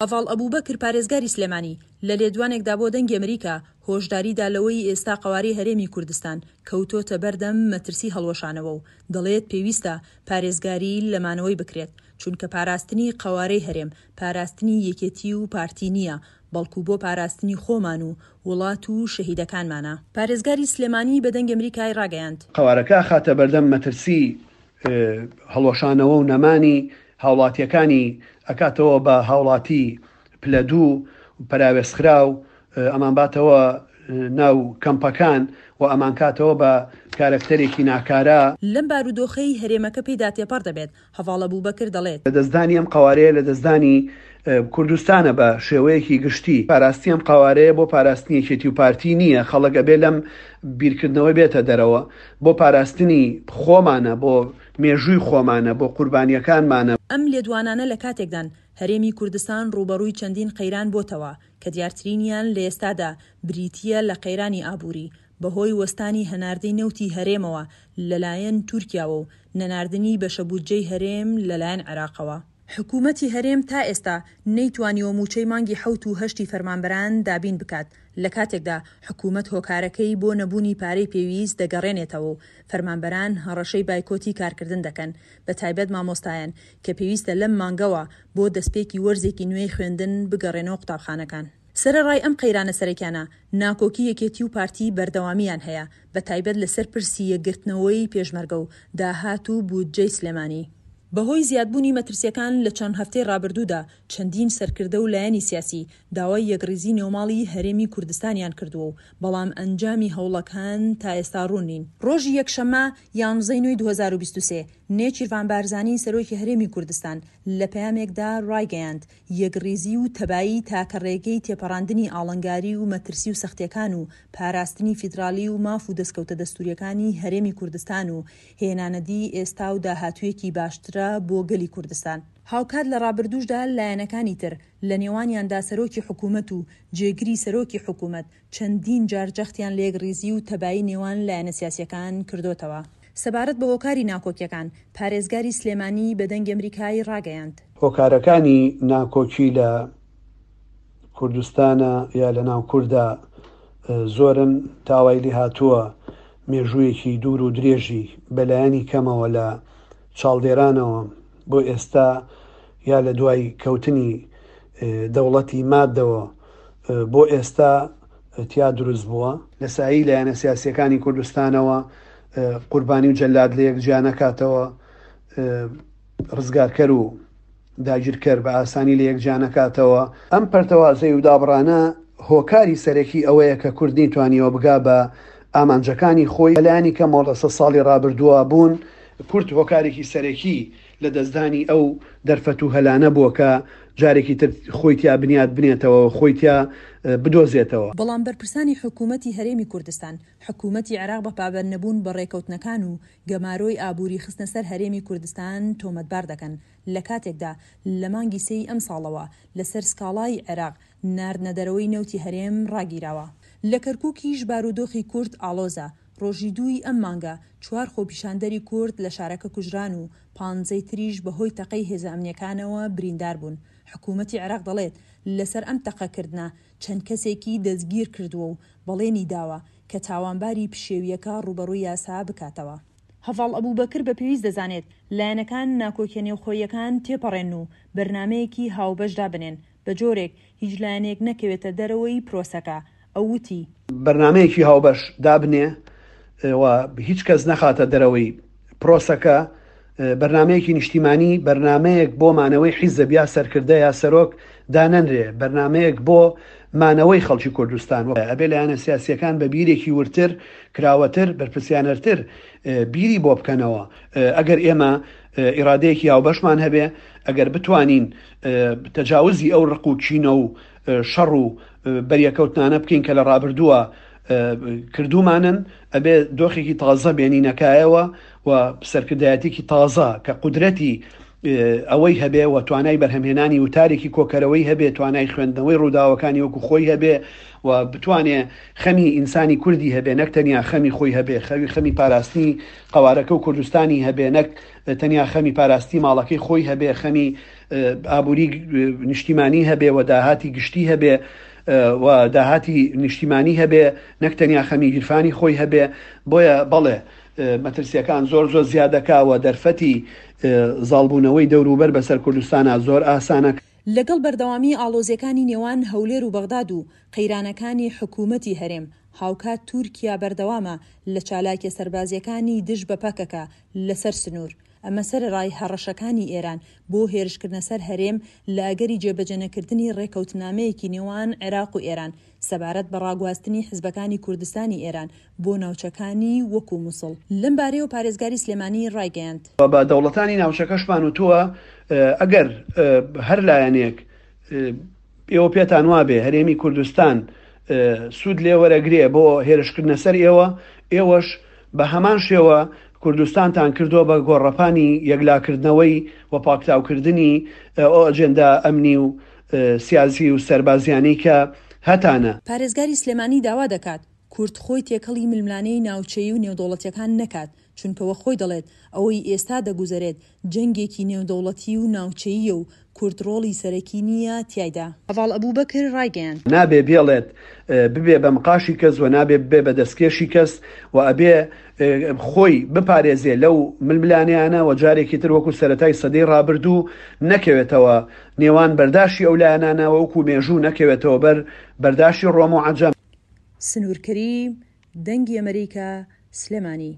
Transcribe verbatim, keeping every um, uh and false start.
هەڤاڵ ئەبوبەکر پارێزگاری سلێمانی لە لێدوانێکدا بۆ دەنگی ئەمریکا هۆشداری دا لەوەی ئێستا قەوارەی هەرێمی کوردستان کەوتۆتە بەردەم مەترسی هەڵوەشانەوە و دەڵێت پێویستە پارێزگاری لە مانەوەی بکرێت چونکە پاراستنی قەوارەی هەرێم پاراستنی یەکێتی و پارتی نییە بەڵکو بۆ پاراستنی خۆمان و وڵات و شەهیدەکانمانە. پارێزگاری سلێمانی بە دەنگی ئەمریکای ڕاگەیاند. قەوارەکە ئەخاتە بەردەم مەترسی هەڵوەشانەوە و نەمانی هاوڵاتیەکانی ئەکاتەوە بە هاوڵاتی پلە دوو پەراوێزخراو، ئەمانباتەوە ناو کەمپەکان و ئەمانکاتەوە بە کارەکتەرێکی ناکارا. لەم بارودۆخەی هەرێمەکە پێیدا تێپەڕ دەبێت، هەڤاڵ ئەبوبەکر دەڵێت. لەدەستدانی ئەم قەوارەیە لەدەستدانی کوردستانە بە شێوەیەکی گشتی. پاراستی ئەم قەوارەیە بۆ پاراستنی یەکێتی و پارتی نییە، خەڵک ئەبێ لەم بیرکردنەوە بێتە دەرەوە، بۆ پاراستنی خۆمانە، بۆ مێژووی خۆمانە، بۆ قوربانیەکانمانە. ئەم لێدوانانە لە کاتێکدان هەرێمی کوردستان ڕووبەڕووی چەندین قەیران بۆتەوە کە دیارترینیان لە ئێستادا بریتییە لە قەیرانی ئابووری بەهۆی وەستانی هەناردەی نەوتی هەرێمەوە لەلایەن تورکیاوە و نەناردنی بەشە بودجەی هەرێم لەلایەن عێراقەوە. حکومەتی هەرێم تا ئێستا نەیتوانیوە مووچەی مانگی حەوت و هەشتی فەرمانبەران دابین بکات، لە کاتێکدا حکومەت هۆکارەکەی بۆ نەبوونی پارەی پێویست دەگەڕێنێتەوە و فەرمانبەران هەڕەشەی بایکۆتی کارکردن دەکەن، بەتایبەت مامۆستایان کە پێویستە لەم مانگەوە بۆ دەستپێکی وەرزێکی نوێی خوێندن بگەڕێنەوە قوتابخانەکان. سەرەڕای ئەم قەیرانە سەرەکیانە، ناکۆکی یەکێتی و پارتی بەردەوامییان هەیە، بەتایبەت لەسەر پرسی یەکگرتنەوەی پێشمەرگە و داهات و بودجەی سلێمانی. بەهۆی زیادبوونی مەترسییەکان لە چەند هەفتەی ڕابردوودا چەندین سەرکردە و لایەنی سیاسی داوای یەکڕیزی نێوماڵی هەرێمی کوردستانیان کردووە و بەڵام ئەنجامی هەوڵەکان تا ئێستا ڕوون نین. ڕۆژی یەکشەممە یانزەی نۆی دوو هەزار و بیست و سێ نێچیرڤان بارزانی سەرۆکی هەرێمی کوردستان لە پەیامێکدا ڕایگەیاند یەکڕیزی و تەبایی تاکە ڕێگەی تێپەڕاندنی ئاڵنگاری و مەترسی و سەختیەکان و پاراستنی فیدراڵی و ماف و دەستکەوتە دەستوریەکانی هەرێمی کوردستان و هێنانەدی ئێستا و داهاتوویەکی باشترە بۆ گەلی کوردستان. هاوکات لە ڕابردووشدا لایەنەکانی تر لە نێوانیاندا سەرۆکی حکوومەت و جێگری سەرۆکی حکوومەت چەندین جار جەختیان لە یەکڕیزی و تەبایی نێوان لایەنە سیاسیەکان کردۆتەوە. سەبارەت بە هۆکاری ناکۆکیەکان پارێزگاری سلێمانی بە دەنگی ئەمریکای ڕاگەیاند. هۆکارەکانی ناکۆکی لە کوردستانە یا لە ناو کووردا زۆرن، تاوای لێ هاتووە مێژوویەکی دوور و درێژی بەلایەنی کەمەوە لە چاڵدێرانەوە بۆ ئێستا یا لە دوای کەوتنی دەوڵەتی مادەوە بۆ ئێستا تیا دروست بووە. لە سایی لایەنە سیاسیەکانی کوردستانەوە قوربانی و جەلاد لە یەک جیا نەکاتەوە، ڕزگارکەر و داگیرکەر بە ئاسانی لە یەک جیا نەکاتەوە. ئەم پەرتەوازەی و دابڕانە هۆکاری سەرەکی ئەوەیە کە کورد نەیتوانیوە بگا بە ئامانجەکانی خۆی. لەلایەنی کەمەوە لە سەد ساڵی ڕابردووە بوون کورد هۆکارێکی سەرەکی لە دەستدانی ئەو دەرفەت و هەلانە بووە کە جارێکی تر خۆی تیا بنیات بنێتەوە، خۆی تیا بدۆزێتەوە. بەڵام بەرپرسانی حکوومەتی هەرێمی کوردستان حکوومەتی عێراق بە پابەندنەبوون بە ڕێکەوتنەکان و گەمارۆی ئابووری خستنە سەر هەرێمی کوردستان تۆمەتبار دەکەن، لە کاتێکدا لە مانگی سێی ئەمساڵەوە لەسەر سکاڵای عێراق ناردنە دەرەوەی نەوتی هەرێم ڕاگیراوە. لە کەرکووکیش بارودۆخی کورد ئاڵۆزە. ڕۆژی دووی ئەم مانگە چوار خۆپیشاندەری کورد لە شارەکە کوژران و پانزەی تریش بەهۆی تەقەی هێزە ئەمنیەکانەوە بریندار بوون. حکوومەتی عێراق دەڵێت لەسەر ئەم تەقەکردنە چەند کەسێکی دەستگیر کردووە و بەڵێنی داوە کە تاوانباری پشێویەکە ڕووبەڕووی یاسا بکاتەوە. هەڤاڵ ئەبوبەکر بە پێویست دەزانێت لایەنەکان ناکۆکیە نێوخۆییەکان تێپەڕێن و بەرنامەیەکی هاوبەش دابنێن، بە جۆرێک هیچ لایەنێک نەکەوێتە دەرەوەی پرۆسەکە. ئەو وتی: بەرنامەیەکی هاوبەش دابنێ و هیچ کەس نەخاتە دەرەوەی پرۆسەکە، بەرنامەیەکی نیشتیمانی، بەرنامەیەک بۆ مانەوەی حیزب یا سەرکردە یا سەرۆک دانەنرێ، بەرنامەیەک بۆ مانەوەی خەڵکی کوردستان. ئەبێ لایەنە سیاسیەکان بە بیرێکی ورتر، کراوەتر، بەرپرسیانەرتر بیری بۆ بکەنەوە. ئەگەر ئێمە ئیرادەیەکی هاوبەشمان هەبێ، ئەگەر بتوانین تەجاوزی ئەو ڕق و کینە و شەڕ و بەریەکەوتنانە بکەین کە لە ڕابردووە کردومانن، ئەبێ دۆخێکی تازە بێنینەکایەوە و سەرکردایەتێکی تازە کە قودرەتی ئەوەی هەبێ و توانای بەرهەمهێنانی وتارێکی کۆکەرەوەی هەبێ، توانای خوێندنەوەی ڕووداوەکانی وەکو خۆی هەبێ و بتوانێ خەمی ئینسانی کوردی هەبێ، نەک تەنیا خەمی خۆی هەبێ، خەوی خەمی پاراستنی قەوارەکە و کوردستانی هەبێ، نەک تەنیا خەمی پاراستنی ماڵەکەی خۆی هەبێ، خەمی ئابووری نیشتیمانی هەبێ و داهاتی گشتی هەبێ و داهاتی نیشتیمانی هەبێ نەک تەنیا خەمی گیرفانی خۆی هەبێ بۆیە بەڵێ مەترسیەکان زۆر زۆر زیادەکا و دەرفەتی زاڵبوونەوەی دەوروبەر بەسەر کوردستانا زۆر ئاسانە. لەگەڵ بەردەوامی ئاڵۆزیەکانی نێوان هەولێر و بەغداد و قەیرانەکانی حکومەتی هەرێم، هاوکات تورکیا بەردەوامە لە چالاکیە سەربازیەکانی دژ بە پەکەکە لەسەر سنوور، ئەمە سەرەڕای هەڕەشەکانی ئێران بۆ هێرشکردنە سەر هەرێم لە ئەگەری جێبەجێنەکردنی ڕێکەوتنامەیەکی نێوان عێراق و ئێران سەبارەت بە ڕاگواستنی حزبەکانی کوردستانی ئێران بۆ ناوچەکانی وەکو موسڵ. لەم بارەیەوە پارێزگاری سلێمانی ڕایگەیاند. بە دەوڵەتانی ناوچەکەشمان وتووە ئەگەر هەر لایەنێک ئێوە پێتان وابێ هەرێمی کوردستان سوود لێ وەرەگرێ بۆ هێرشکردنە سەر ئێوە، ئێوەش بە هەمان شێوە کوردستانتان کردووە بە گۆڕەپانی یەکلاکردنەوەی و پاکتاوکردنی ئەو ئەجێندا ئەمنی و سیاسی و سەربازیانەی کە هەتانە. پارێزگاری سلێمانی داوا دەکات، کورد خۆی تێکەڵی ململانێی ناوچەیی و نێودەوڵەتییەکان نەکات، چونکە وەک خۆی دەڵێت، ئەوەی ئێستا دەگوزەرێت جەنگێکی نێودەوڵەتی و ناوچەییە و کورد ڕۆڵی سەرەکی نییە تیایدا. هەڤاڵ ئەبوبەکر ڕایگەیاند. نابێ بێڵێت ببێ بە مقاشی کەس و نابێ ببێ بە دەستکێشی کەس و ئەبێ خۆی بپارێزێ لەو ململانێیانە و جارێکی تر وەکو سەرەتای سەدەی ڕابردوو نەکەوێتەوە نێوان بەرداشی ئەو لایەنانە و وەکو مێژوو نەکەوێتەوە بەر بەرداشی ڕۆم و عەجەم. سنوور کەریم، دەنگی ئەمەریکا، سلێمانی.